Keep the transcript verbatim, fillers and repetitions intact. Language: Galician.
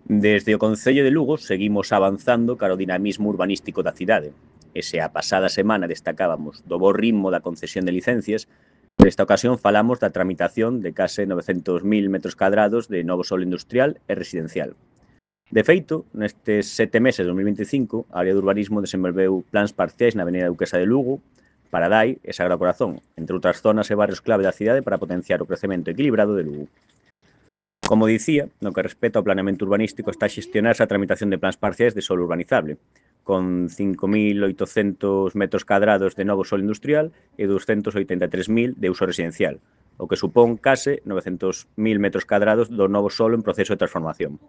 Desde o Concello de Lugo seguimos avanzando cara ao dinamismo urbanístico da cidade. E se a pasada semana destacábamos do bo ritmo da concesión de licencias, nesta ocasión falamos da tramitación de case novecentos mil metros cadrados de novo solo industrial e residencial. De feito, nestes sete meses de dos mil veinticinco, a área de urbanismo desenvolveu plans parciais na Avenida Duquesa de Lugo, Paradai e Sagrado Corazón, entre outras zonas e barrios clave da cidade para potenciar o crecemento equilibrado de Lugo. Como dicía, no que respecta ao planeamento urbanístico está a xestionarse a tramitación de plans parciais de solo urbanizable, con cinco mil oitocentos metros cadrados de novo solo industrial e doscientos oitenta e tres mil de uso residencial, o que supón case novecentos mil metros cadrados do novo solo en proceso de transformación.